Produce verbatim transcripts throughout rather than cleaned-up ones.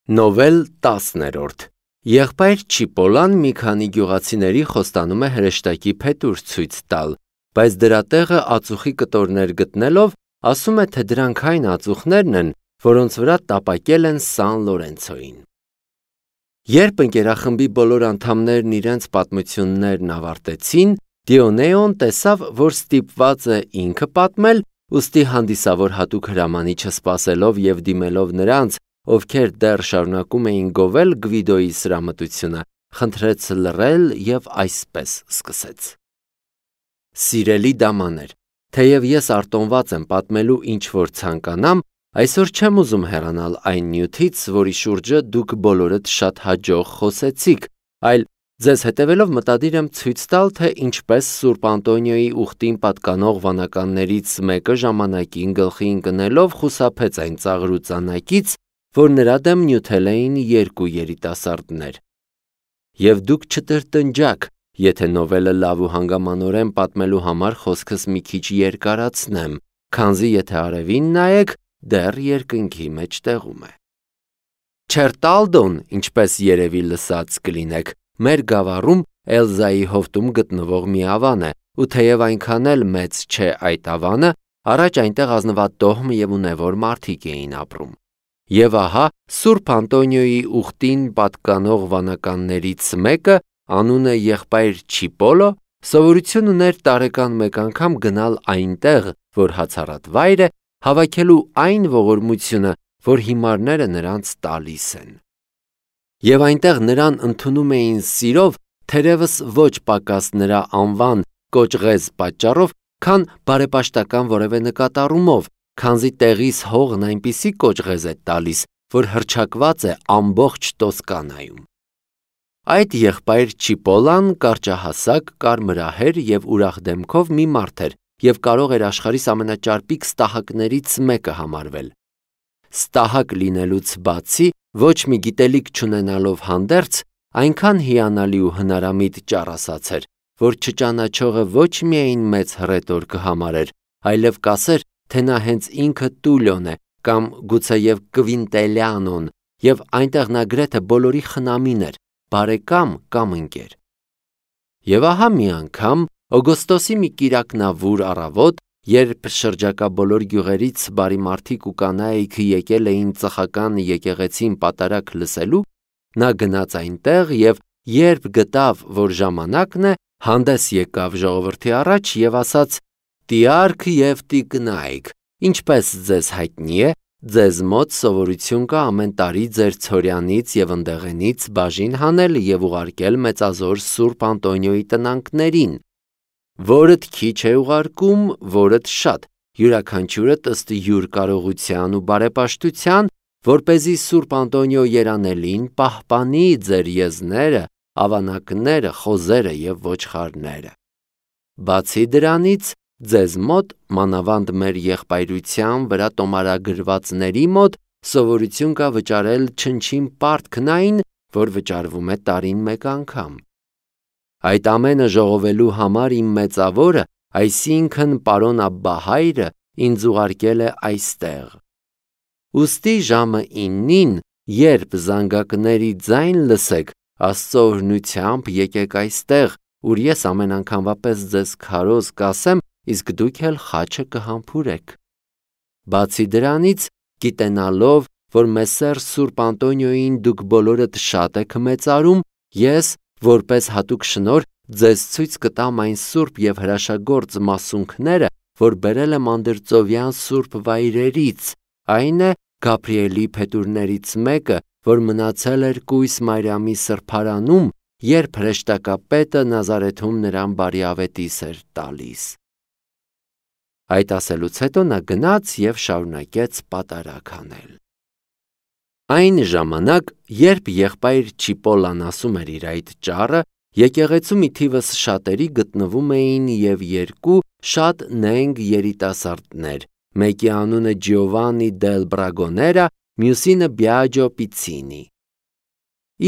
Նովել տասներորդ Եղբայր Չիպոլան մի քանի գյուղացիների խոստանում է հրեշտակի փետուր ցույց տալ, բայց դրա տեղը ածուխի կտորներ գտնելով ասում է, թե դրանք այն ածուխներն են, որոնց վրա տապակել են Սան Լորենցոին։ Երբ ընկերախմբի բոլոր անդամներն իրենց պատմություններն ավարտեցին, Դիոնեոն տեսավ, որ ստիպված է ինքը պատմել, ուստի հանդիսավոր հատուկ հրամանիչը սպասելով և դիմելով նրանց, ովքեր դեռ շարունակում էին գովել Գվիդոյի սրամտությունը, խնդրեց լռել և այսպես սկսեց. Սիրելի դամաներ, թեև ես արտոնված եմ պատմելու ինչ-որ ցանկանամ, այսօր չեմ ուզում հեռանալ այն նյութից, որի շուրջը դուք բոլորդ շատ հաջող խոսեցիք, այլ ձեզ հետևելով մտադիր եմ ցույց տալ, թե ինչպես Սուրբ Անտոնիոյի ուխտին պատկանող վանականներից մեկը ժամանակին գլխի ընկնելով խուսափեց այն ծաղր ու ծանակից, որ նրա դեմ նյութել էին երկու երիտասարդներ։ Եվ դուք չտրտնջաք, եթե նովելը լավ ու հանգամանորեն պատմելու համար խոսքս մի քիչ երկարացնեմ, քանզի եթե արևին նայեք, դեռ երկնքի մեջտեղում է։ Չերտալդոն, ինչպես երևի լսած կլինեք, մեր գավառում Էլզայի հովտում գտնվող մի ավան է, ու թեև այնքան էլ մեծ չէ այդ ավանը, առաջ այնտեղ ազնվատոհմ և ունևոր մարդիկ էին ապրում։ Եվ ահա Սուրբ Անտոնիոյի ուխտին պատկանող վանականներից մեկը, անունը եղբայր Չիպոլո, սովորություն ուներ տարեկան մեկ անգամ գնալ այնտեղ, որ հացառատ վայր է, հավաքելու այն ողորմությունը, որ հիմարները նրանց տալիս են։ Եվ այնտեղ նրան ընդունում էին սիրով, թերևս ոչ պակաս նրա անվան կոճղեզ պատճառով, քան բարեպաշտական որևէ նկատառումով, քանզի տեղիս հողն այնպիսի կոճղեզ է տալիս, որ հռչակված է ամբողջ Տոսկանայում։ Այդ եղբայր Չիպոլան կարճահասակ, կարմրահեր և ուրախ դեմքով մի մարդ էր և կարող էր աշխարհիս ամենաճարպիկ ստահակներից մեկը համարվել։ Ստահակ լինելուց բացի, ոչ մի գիտելիք չունենալով հանդերձ, այնքան հիանալի ու հնարամիտ ճառասած էր, որ չճանաչողը ոչ միայն մեծ հռետոր կհամարեր, այլև կասեր, թե նա հենց ինքը Տուլիոն է կամ գուցեև Կվինտելիանոն, և այնտեղ նա գրեթե բոլորի խնամին էր, բարեկամ կամ ընկեր։ Եվ ահա մի անգամ օգոստոսի մի կիրակնավուր առավոտ, երբ շրջակա բոլոր գյուղերից բարի մարդիկ ու կանայք եկել էին ծխական եկեղեցին պատարագ լսելու, նա գնաց այնտեղ և երբ գտավ, որ ժամանակն է, հանդես եկավ ժողովրդի առաջ և ասաց. «Տիարք և տիկնայք, ինչպես ձեզ հայտնի է, ձեզ մոտ սովորություն կա ամեն տարի ձեր ցորյանից և ընդեղենից բաժին հանել և ուղարկել մեծազոր Սուրբ Անտոնիոյի տնանքներին, որդ քիչ է ուղարկում, որդ շատ, յուրաքանչյուրդ ըստ յուր կարողության ու բարեպաշտության, որպեսզի Սուրբ Անտոնիո երանելին պահպանի ձեր եզները, ավանակները, խոզերը և ոչխարները։ Բացի դրանից, ձեզ մոտ, մանավանդ մեր եղբայրության վրա տոմարագրվածների մոտ, սովորություն կա վճարել չնչին պարտքն այն, որ վճարվում է տարին մեկ անգամ։ Այդ ամենը ժողովելու համար իմ մեծավորը, այսինքն պարոն Աբբահայրը, ինձ ուղարկել է այստեղ։ Ուստի ժամը իննին, երբ զանգակների ձայն լսեք, Աստծո օրհնությամբ եկեք այստեղ, ուր ես ամեն անգամվա պես ձեզ քարոզ կասեմ, իսկ դուք էլ խաչը կհամբուրեք։ Բացի դրանից, գիտենալով, որ Մեսսեր Սուրբ Անտոնիոյին դուք բոլորդ շատ եք մեծարում, ես, որպես հատուկ շնորհ, ձեզ ցույց կտամ այն սուրբ և հրաշագործ մասունքները, որ բերել եմ անդրծովյան սուրբ վայրերից, այն է Գաբրիելի փետուրներից մեկը, որ մնացել էր կույս Մարիամի սրբարանում, երբ հրեշտակապետը Նազարեթում նրան բարիավետիս էր տալիս։ Այդ ասելուց հետո նա գնաց և շարունակեց պատարագ անել։ Այն ժամանակ, երբ եղբայր Չիպոլան ասում էր իր այդ ճառը, եկեղեցու մի թիվս շատերի գտնվում էին և երկու շատ նենգ երիտասարդներ, մեկի անունը Ջիովաննի դել Բրագոներա, մյուսինը Բիաջո Պիցինի։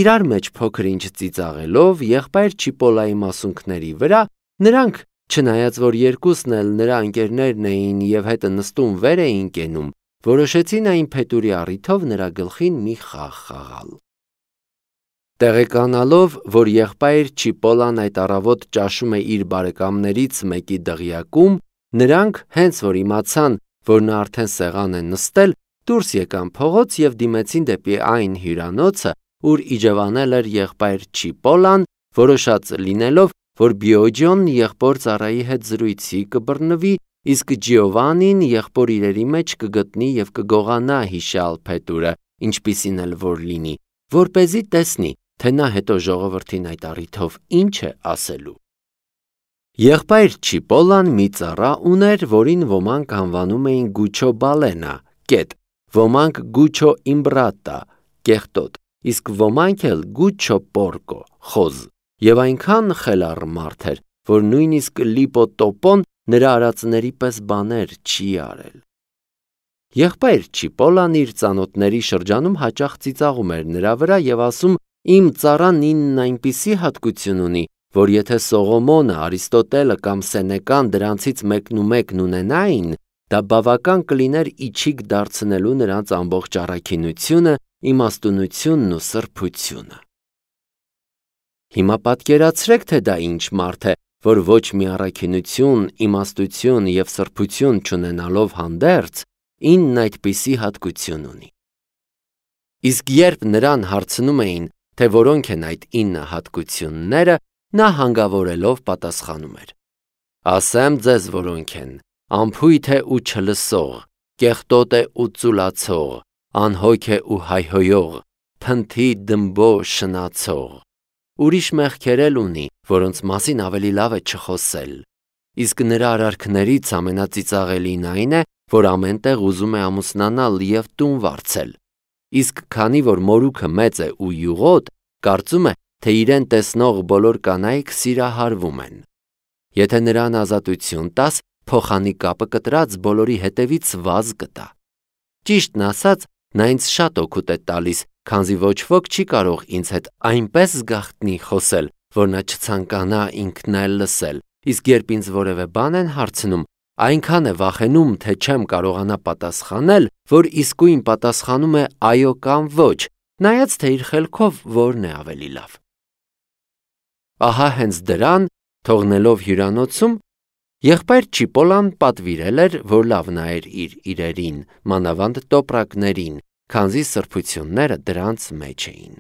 Իրար մեջ փոքր-ինչ ծիծաղելով եղբայր Չիպոլայի մասունքների վրա, նրանք, չնայած որ երկուսն էլ նրա ընկերներն էին և հետը նստում վեր էին կենում, որոշեցին այն փետուրի առիթով նրա գլխին մի խաղ խաղալ։ Տեղեկանալով, որ եղբայր Չիպոլան այդ առավոտ ճաշում է իր բարեկամներից մեկի դղյակում, նրանք, հենց որ իմացան, որ նա արդեն սեղան է նստել, դուրս եկան փողոց և դիմեցին դեպի այն հյուրանոցը, ուր իջևանել էր եղբայր Չիպոլան, որոշած լինելով, որ Բիոջոնն եղբոր ծառայի հետ զրույցի կբռնվի, իսկ Ջիովանին եղբոր իրերի մեջ կգտնի և կգողանա հիշյալ փետուրը, ինչպիսին էլ որ լինի, որպեսզի տեսնի, թե նա հետո ժողովրդին այդ առիթով ինչ է ասելու։ Եղբայր Չիպոլան մի ծառա ուներ, որին ոմանք անվանում էին Գուչո Բալենա, կետ, ոմանք Գուչո Իմբրատա, կեղտոտ, իսկ ոմանք էլ Գուչո Պորկո, խոզ, և այնքան խելառ մարդ էր, որ նույնիսկ Լիպո Տոպոն նրա արածների պես բաներ չի արել։ Եղբայր Չիպոլան իր ծանոթների շրջանում հաճախ ծիծաղում էր նրա վրա և ասում. «Իմ ծառան ինն այնպիսի հատկություն ունի, որ եթե Սողոմոնը, Արիստոտելը կամ Սենեկան դրանցից մեկնումեկն ունենային, դա բավական կլիներ իչիք դարձնելու նրանց ամբողջ առաքինությունը, իմաստունությունն ու սրբությունը»։ Հիմա պատկերացրեք, թե դա ինչ մարդ է, որ ոչ մի առաքինություն, իմաստություն և սրբություն չունենալով հանդերձ, ինն այդպիսի հատկություն ունի։ Իսկ երբ նրան հարցնում էին, թե որոնք են այդ ինը հատկությունները, նա հանգավորելով պատասխանում էր. «Ասեմ ձեզ որոնք են. անփույթ է ու չլսող, կեղտոտ է ու ծուլացող, անհոգ է ու հայհոյող, փնթի դմբո շնացող։ Ուրիշ մեղքեր էլ ունի, որոնց մասին ավելի լավ է չխոսել։ Իսկ նրա արարքներից ամենածիծաղելին այն է, որ ամեն տեղ ուզում է ամուսնանալ և տուն վարձել։ Իսկ քանի որ մորուքը մեծ է ու յուղոտ, կարծում է, թե իրեն տեսնող բոլոր կանայք սիրահարվում են։ Եթե նրան ազատություն տաս, փոխանի կապը կտրած բոլորի հետևից վազ կտա։ Ճիշտն ասած, նա ինձ շատ օգուտ է տալիս, քանզի ոչ ոք չի կարող ինձ հետ այնպես զգախտնի խոսել, որ նա չցանկանա ինքն էլ լսել, իսկ երբ ինձ որևէ բան են հարցնում, այնքան է վախենում, թե չեմ կարողանա պատասխանել, որ իսկույն պատասխանում է այո կամ ոչ, նայած թե իր խելքով որն է ավելի լավ։ Ահա հենց դրան, թողնելով հյուրանոցում, եղբայր Չիպոլան պատվիրել էր, որ լավ նայեր իր իրերին, մանավանդ տոպրակներին, քանզի սրբությունները դրանց մեջ էին։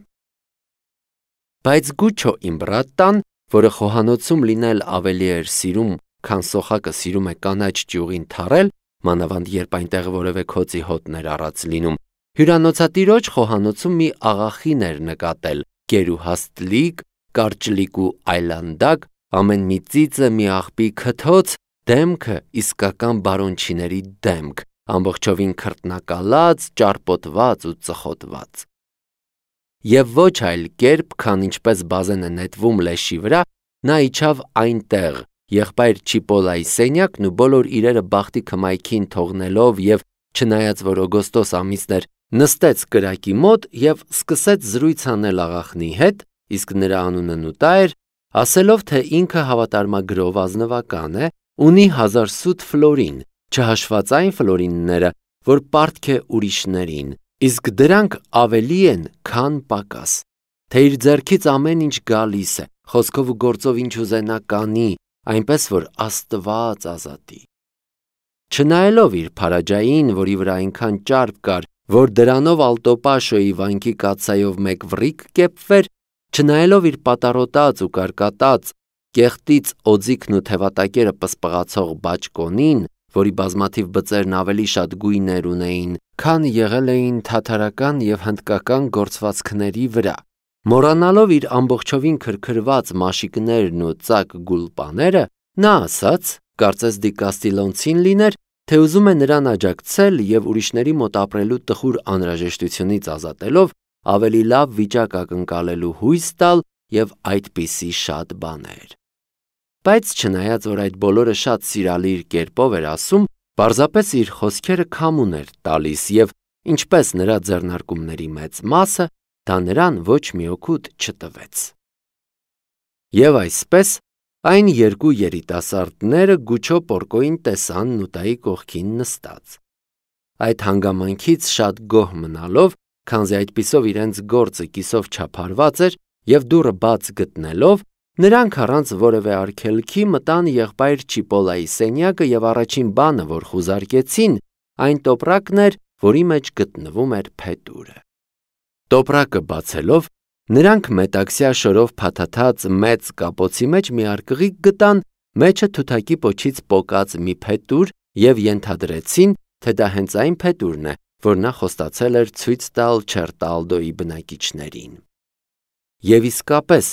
Բայց Գուչո Իմբրատան, որը խոհանոցում լինել ավելի էր սիրում, քան սոխակը սիրում է կանաչ ճյուղին թառել, մանավանդ երբ այնտեղ որևէ քոցի հոտն էր առած լինում, հյուրանոցատիրոջ խոհանոցում մի աղախին էր նկատել, գերուհաստլիկ, կարճլիկ ու այլանդակ, ամեն մի ծիծը մի աղբի քթոց, դեմքը իսկական բարոնչիների դեմք, ամբողջովին քրտնակալած, ճարպոտված ու ծխոտված։ Եվ ոչ այլ կերպ, քան ինչպես բազենը նետվում լեշի վրա, նա իջավ այնտեղ, եղբայր Չիպոլայի սենյակն ու բոլոր իրերը բախտի քմայքին թողնելով և չնայած որ օգոստոս ամիսն էր, նստեց կրակի մոտ և սկսեց զրույց անել աղախնի հետ, իսկ նրա անունը Նուտա էր, ասելով, թե ինքը հավատարմագրով ազնվական է, ունի հազար սուտ ֆլորին, չհաշված այն ֆլորինները, որ պարտք է ուրիշներին, իսկ դրանք ավելի են, քան պակաս, թե իր ձեռքից ամեն ինչ գալիս է, խոսքով ու գործով ինչ ուզենա կանի, այնպես որ Աստված ազատի։ Չնայելով իր փարաջային, որի վրա այնքան ճարպ կար, որ դրանով Ալտոպաշոյի վանքի կաթսայով մեկ վռիկ կեպվեր, չնայելով իր պատառոտած ու կարկատած, կեղտից օձիքն ու թևատակերը պսպղացող բաճկոնին, որի բազմաթիվ բծերն ավելի շատ գույներ ունեին, քան եղել էին թաթարական և հնդկական գործվածքների վրա, մոռանալով իր ամբողջովին քրքրված մաշիկներն ու ծակ գուլպաները, նա ասաց, կարծես Դի Կաստիլոնցին լիներ, թե ուզում է նրան աջակցել և ուրիշների մոտ ապրելու տխուր անհրաժեշտությունից ազատելով, ավելի լավ վիճակ ակնկալելու հույս տալ և այդպիսի շատ բաներ։ Բայց չնայած որ այդ բոլորը շատ սիրալիր կերպով էր ասում, պարզապես իր խոսքերը քամուն էր տալիս և ինչպես նրա ձեռնարկումների մեծ մասը, դա նրան ոչ մի օգուտ չտվեց։ Եվ այսպես, այն երկու երիտասարդները Գուչո Պորկոին տեսան Նուտայի կողքին նստած։ Այդ հանգամանքից շատ գոհ մնալով, քանզի այդպիսով իրենց գործը կիսով չափարված էր և դուռը բաց գտնելով, նրանք առանց որևէ արգելքի մտան եղբայր Չիպոլայի սենյակը և առաջին բանը, որ խուզարկեցին, այն տոպրակն էր, որի մեջ գտնվում էր փետուրը։ Տոպրակը բացելով, նրանք մետաքսյա շորով փաթաթած մեծ կապոցի մեջ մի արկղիկ գտան, մեջը թութակի պոչից պոկած մի փետուր և ենթադրեցին, թե դա հենց այն փետուրն է, որ նա խոստացել էր ցույց տալ Չերտալդոյի բնակիչներին։ Եվ իսկապես,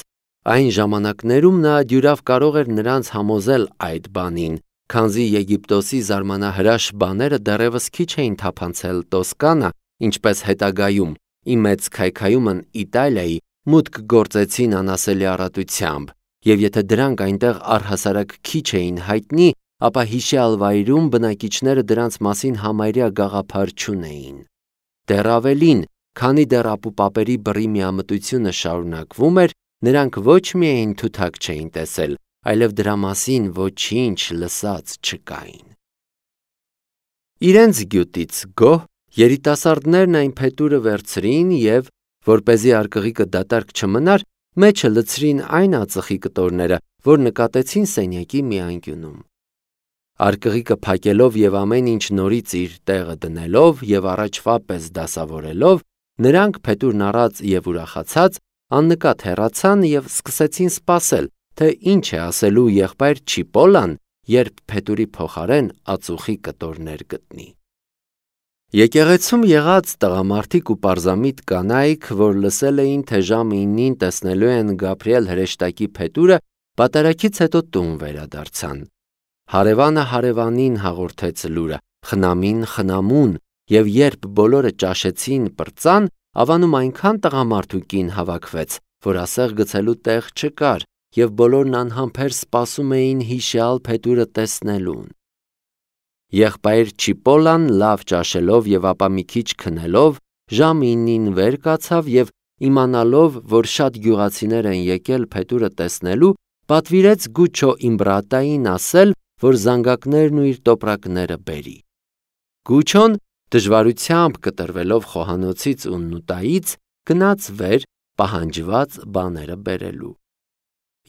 այն ժամանակներում նա դյուրավ կարող էր նրանց համոզել այդ բանին, քանզի Եգիպտոսի զարմանահրաշ բաները դեռևս քիչ էին թափանցել Տոսկանա, ինչպես հետագայում, ի մեծ քայքայումն Իտալիայի, մուտք գործեցին անասելի առատությամբ, և եթե դրանք այնտեղ առհասարակ քիչ էին հայտնի, ապա հիշյալ վայրում բնակիչները դրանց մասին համարյա գաղափար չունեին։ Դեռ ավելին, քանի դեռ ապուպապերի բռի միամտությունը շարունակվում էր, նրանք ոչ միայն թութակ չէին տեսել, այլև դրա մասին ոչինչ լսած չկային։ Իրենց գյուտից գոհ, երիտասարդներն այն փետուրը վերցրին և, որպեսզի արկղիկը դատարկ չմնար, մեջը լցրին այն ածխի կտորները, որ նկատեցին սենյակի մի անկյունում։ Արկղիկը փակելով և ամեն ինչ նորից իր տեղը դնելով և առաջվա պես դասավորելով, նրանք փետուրն առած և ուրախացած աննկատ հեռացան և սկսեցին սպասել, թե ինչ է ասելու եղբայր Չիպոլան, երբ փետուրի փոխարեն ածուխի կտորներ գտնի։ Եկեղեցում եղած տղամարդիկ ու պարզամիտ կանայք, որ լսել էին, թե ժամը իննին տեսնելու են Գաբրիել հրեշտակի փետուրը, պատարագից հետո տուն վերադարձան։ Հարևանը հարևանին հաղորդեց լուրը, խնամին խնամուն, և երբ բոլորը ճաշեցին պրծան, ավանում այնքան տղամարդ ու կին հավաքվեց, որ ասեղ գցելու տեղ չկար, և բոլորն անհամբեր սպասում էին հիշյալ փետուրը տեսնելուն։ Եղբայր Չիպոլան լավ ճաշելով և ապա մի քիչ քնելով, ժամը իննին վեր կացավ և իմանալով, որ շատ գյուղացիներ են եկել փետուրը տեսնելու, պատվիրեց Գուչո Իմբրատային ասել, որ զանգակներն ու իր տոպրակները բերի։ Գուչոն, դժվարությամբ կտրվելով խոհանոցից ու նուտայից, գնաց վեր, պահանջված բաները բերելու։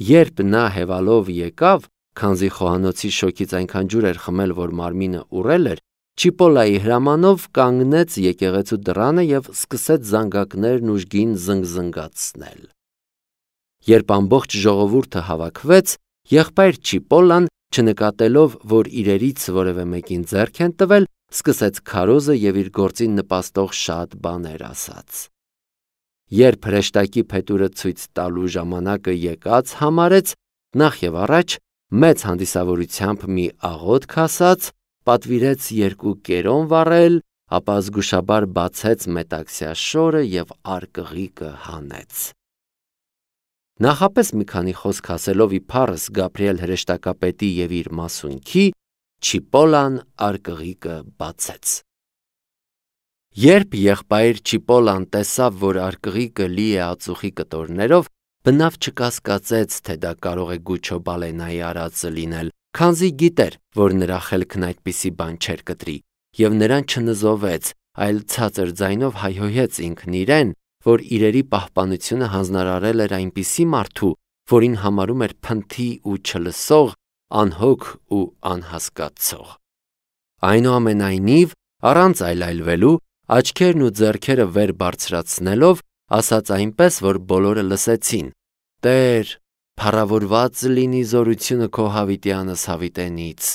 Երբ նա հևալով եկավ, քանզի խոհանոցի շոգից այնքան ջուր էր խմել, որ մարմինը ուռել էր, Չիպոլայի հրամանով կանգնեց եկեղեցու դռանը և սկսեց զանգակներն ուժգին զնգզնգացնել։ Երբ ամբողջ ժողովուրդը հավաքվեց, եղբայր Չիպոլան, չնկատելով, որ իրերից որևէ մեկին ձեռք են տվել, սկսեց քարոզը և իր գործին նպաստող շատ բաներ ասաց։ Երբ հրեշտակի փետուրը ցույց տալու ժամանակը եկած համարեց, նախ և առաջ մեծ հանդիսավորությամբ մի աղոթք ասաց, պատվիրեց երկու կերոն վառել, ապա զգուշաբար բացեց մետաքսյա շորը և արկղիկը հանեց։ Նախապես մի քանի խոսք ասելով իբարս Գաբրիել հրեշտակապետի և իր մասունքի, Չիպոլան արկղիկը բացեց։ Երբ եղբայր Չիպոլան տեսավ, որ արկղիկը լի է ածուխի կտորներով, բնավ չկասկածեց, թե դա կարող է Գուչո Բալենայի արածը լինել, քանզի գիտեր, որ նրա խելքն այդպիսի բան չէր կտրի, և նրան չնզովեց, այլ ցածր ձայնով հայհոյեց ինքն իրեն, որ իրերի պահպանությունը հանձնարարել էր այնպիսի մարդու, որին համարում էր փնթի ու չլսող, անհոգ ու անհասկացող։ Այնուամենայնիվ, առանց այլայլվելու, աչքերն ու ձեռքերը վեր բարձրացնելով, ասաց այնպես, որ բոլորը լսեցին. «Տեր, փառավորված լինի զորությունը քո հավիտյանս հավիտենից»։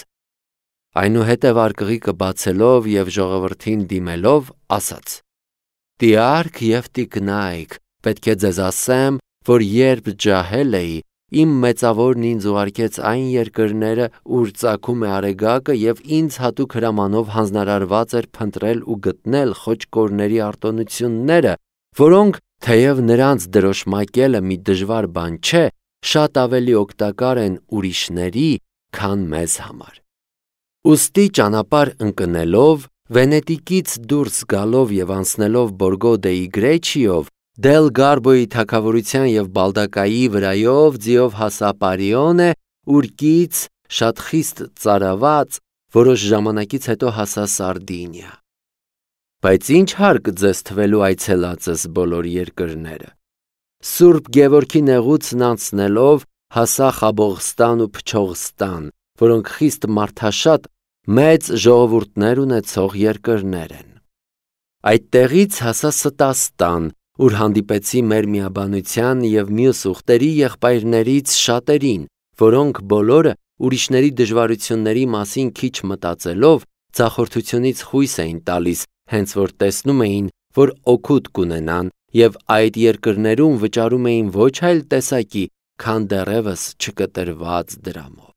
Այնուհետև արկղիկը բացելով և ժողովրդին դիմելով, ասաց. «Տիարք և տիկնայք, պետք է ձեզ ասեմ, որ երբ ջահել էի, իմ մեծավորն ինձ ուղարկեց այն երկրները, ուր ծագում է Արեգակը, և ինձ հատուկ հրամանով հանձնարարված էր փնտրել ու գտնել խոճկորների արտոնությունները, որոնք, թեև նրանց դրոշմակելը մի դժվար բան չէ, շատ ավելի օգտակար են ուրիշների, քան մեզ համար։ Ուստի ճանապարհ ընկնելով, Վենետիկից դուրս գալով և անցնելով Բորգո դեի Գրեչիով, Դել Գարբոյի թագավորության և Բալդակայի վրայով ձիով հասա Պարիոնե, ուր կից, շատ խիստ ծարաված, որոշ ժամանակից հետո հասա Սարդինիա։ Բայց ինչ հարկ ձեզ թվելու այցելածս բոլոր երկրները։ Սուրբ Գևորգի նեղուցն անցնելով հասա Խաբողստան ու Փչողստան, որոնք խիստ մարդաշատ մեծ ժողովուրդներ ունեցող երկրներ են։ Այդտեղից հասա Ստաստան, ուր հանդիպեցի մեր միաբանության և մյուս ուղտերի եղբայրներից շատերին, որոնք բոլորը ուրիշների դժվարությունների մասին քիչ մտածելով ձախորդությունից խույս էին տալիս, հենց որ տեսնում էին, որ օգուտ կունենան և այդ երկրներում վճարում էին ոչ այլ տեսակի, քան դեռևս չկտրված դրամով։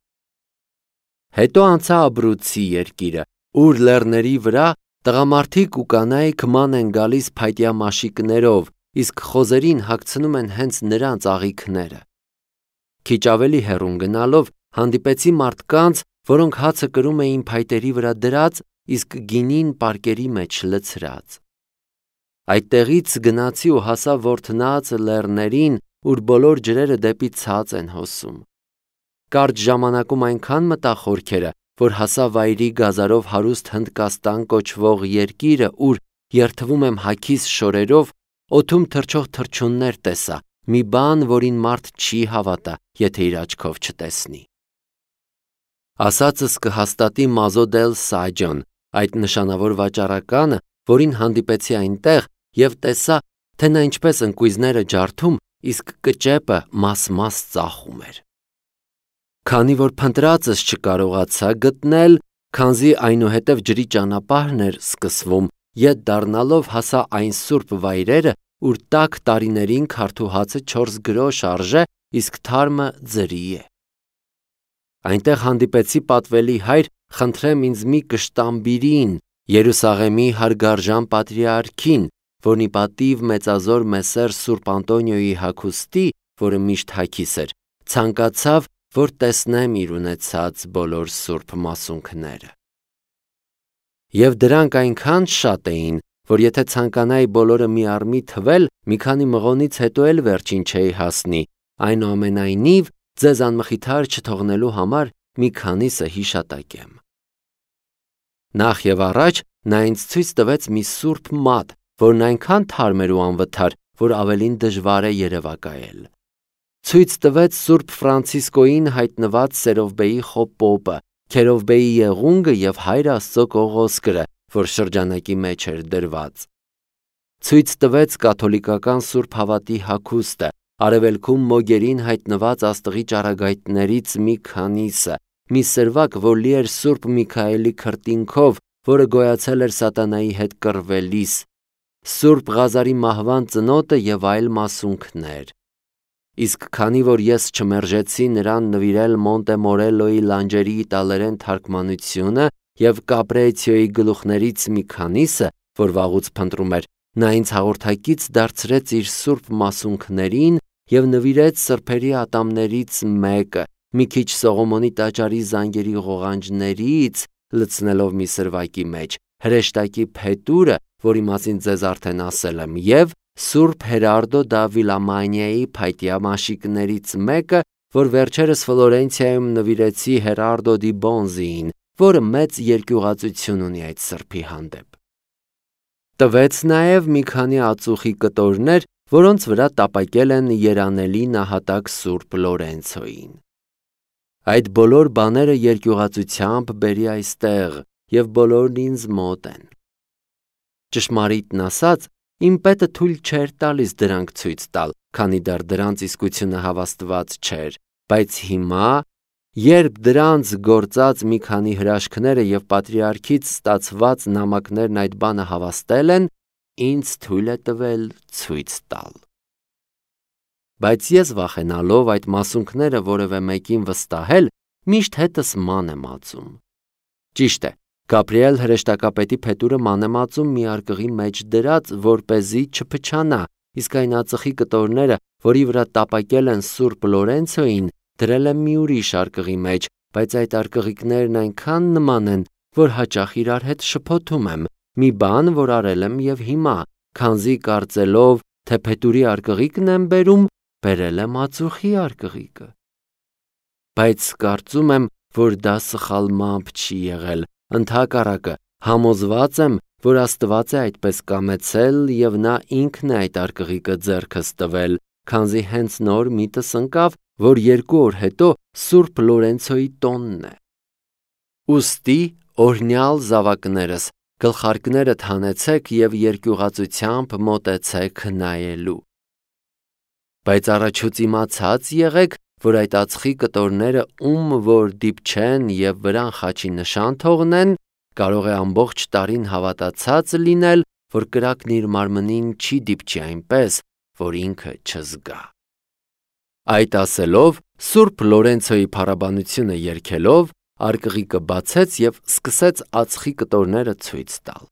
Հետո անցա Աբրուցի երկիրը, ուր լեռների վրա տղամարդիկ ու կանայք ման են գալիս փայտյա մաշիկներով, իսկ խոզերին հագցնում են հենց նրանց աղիքները։ Քիչ ավելի հեռուն գնալով հանդիպեցի մարդկանց, որոնք հացը կրում էին փայտերի վրա դրած, իսկ գինին պարկերի մեջ լցրած։ Այդտեղից գնացի ու հասա Որթնած լեռներին, ուր բոլոր ջրերը դեպի ցած են հոսում։ Կարճ ժամանակում այնքան մտա խորքերը, որ հասա վայրի գազարով հարուստ Հնդկաստան կոչվող երկիրը, ուր երթվում եմ հագիս շորերով, օդում թռչող թռչուններ տեսա, մի բան, որին մարդ չի հավատա, եթե իր աչքով չտեսնի։ Ասածս կհաստատի Մազո դել Սաջոն, այդ նշանավոր վաճառականը, որին հանդիպեցի այնտեղ և տեսա, թե նա ինչպես ընկույզները ջարդում, իսկ կճեպը մաս-մաս ծախում էր։ Քանի որ փնտրածս չկարողացա գտնել, քանզի այնուհետև ջրի ճանապարհն էր սկսվում, ետ դառնալով հասա այն սուրբ վայրերը, ուր տաք տարիներին քարթուհացը չորս գրոշ արժե, իսկ թարմը ձրի է։ Այնտեղ հանդիպեցի պատվելի հայր խնդրեմ ինձ մի կշտամբիրին, Երուսաղեմի հարգարժան պատրիարքին, որն ի պատիվ մեծազոր մեսեր Սուրբ Անտոնիոյի հագուստի, որը միշտ հագիս էր, ցանկացավ, որ տեսնեմ իր ունեցած բոլոր սուրբ մասունքները։ Եվ դրանք այնքան շատ էին, որ եթե ցանկանայի բոլորը մի առ մի թվել, մի քանի մղոնից հետո էլ վերջին չէի հասնի, այնուամենայնիվ ձեզ անմխիթար չթողնելու համար մի քանիսը հիշատակեմ։ Նախ եւ առաջ նա ինձ ցույց տվեց մի սուրբ մատ, որն այնքան թարմ էր ու անվթար, որ ավելին դժվար է երևակայել։ Ցույց տվեց Սուրբ Ֆրանցիսկոյին հայտնված Սերովբեի խոպոպը, Քերովբեի եղունգը և Հայր Աստծո կողոսկրը, որ շրջանակի մեջ էր դրված։ Ցույց տվեց կաթոլիկական Սուրբ Հավատի հագուստը, արևելքում մոգերին հայտնված աստղի ճառագայթներից մի քանիսը, մի սրվակ, որ լի էր Սուրբ Միքայելի քրտինքով, որը գոյացել էր սատանայի հետ կռվելիս, Սուրբ Ղազարի մահվան ծնոտը և այլ մասունքներ։ Իսկ քանի որ ես չմերժեցի նրան նվիրել Մոնտե Մորելոյի լանջերի իտալերեն թարգմանությունը և Կապրեցիոյի գլուխներից մի քանիսը, որ վաղուց փնտրում էր, նա ինձ հաղորդակից դարձրեց իր սուրբ մասունքներին և նվիրեց սրբերի ատամներից մեկը, մի քիչ Սողոմոնի տաճարի զանգերի ղողանջներից լցնելով մի սրվակի մեջ, հրեշտակի փետուրը, որի մասին ձեզ արդեն ասել եմ, և Սուրբ Հերարդո դա Վիլամանիայի փայտյա մաշիկներից մեկը, որ վերջերս Ֆլորենցիայում նվիրեցի Հերարդո դի Բոնզիին, որը մեծ երկյուղածություն ունի այդ սրբի հանդեպ։ Տվեց նաև մի քանի ածուխի կտորներ, որոնց վրա տապակել են երանելի նահատակ Սուրբ Լորենցոյին։ Այդ բոլոր բաները երկյուղածությամբ բերի այստեղ, և բոլորն ինձ մոտ են։ Ճշմարիտն ասած, իմ պետը թույլ չէր տալիս դրանք ցույց տալ, քանի դեռ դրանց իսկությունը հավաստված չէր, բայց հիմա, երբ դրանց գործած մի քանի հրաշքները և պատրիարքից ստացված նամակներն այդ բանը հավաստել են, ինձ թույլ է տվել ցույց տալ։ Բայց ես վախենալով այդ մասունքները որևէ մեկին վստահել, միշտ հետս ման եմ ածում։ Ճիշտ է, Գաբրիել հրեշտակապետի փետուրը ման եմ ածում մի արկղի մեջ դրած, որպեսզի չփչանա, իսկ այն ածխի կտորները, որի վրա տապակել են Սուրբ Լորենցոյին, դրել եմ մի ուրիշ արկղի մեջ, բայց այդ արկղիկներն այնքան նման են, որ հաճախ իրար հետ շփոթում եմ, մի բան, որ արել եմ և հիմա, քանզի կարծելով, թե փետուրի արկղիկն եմ բերում, բերել եմ ածուխի արկղիկը։ Բայց կարծում եմ, որ դա սխալմամբ չի եղել, ընդհակառակը, համոզված եմ, որ Աստված է այդպես կամեցել եւ նա ինքն է այդ արկղիկը ձեռքս տվել, քանզի հենց նոր միտս ընկավ, որ երկու օր հետո Սուրբ Լորենցոյի տոնն է։ Ուստի, օրհնյալ զավակներս, գլխարկներդ հանեցեք եւ երկյուղածությամբ մոտեցեք նայելու։ Բայց առաջուց իմացած եղեք, որ այդ ածխի կտորները ում որ դիպչեն եւ վրան խաչի նշան թողնեն, կարող է ամբողջ տարին հավատացած լինել, որ կրակն իր մարմնին չի դիպչի այնպես, որ ինքը չզգա։ Այդ ասելով, Սուրբ Լորենցոյի փառաբանությունը երգելով, արկղիկը բացեց եւ սկսեց ածխի կտորները ցույց տալ։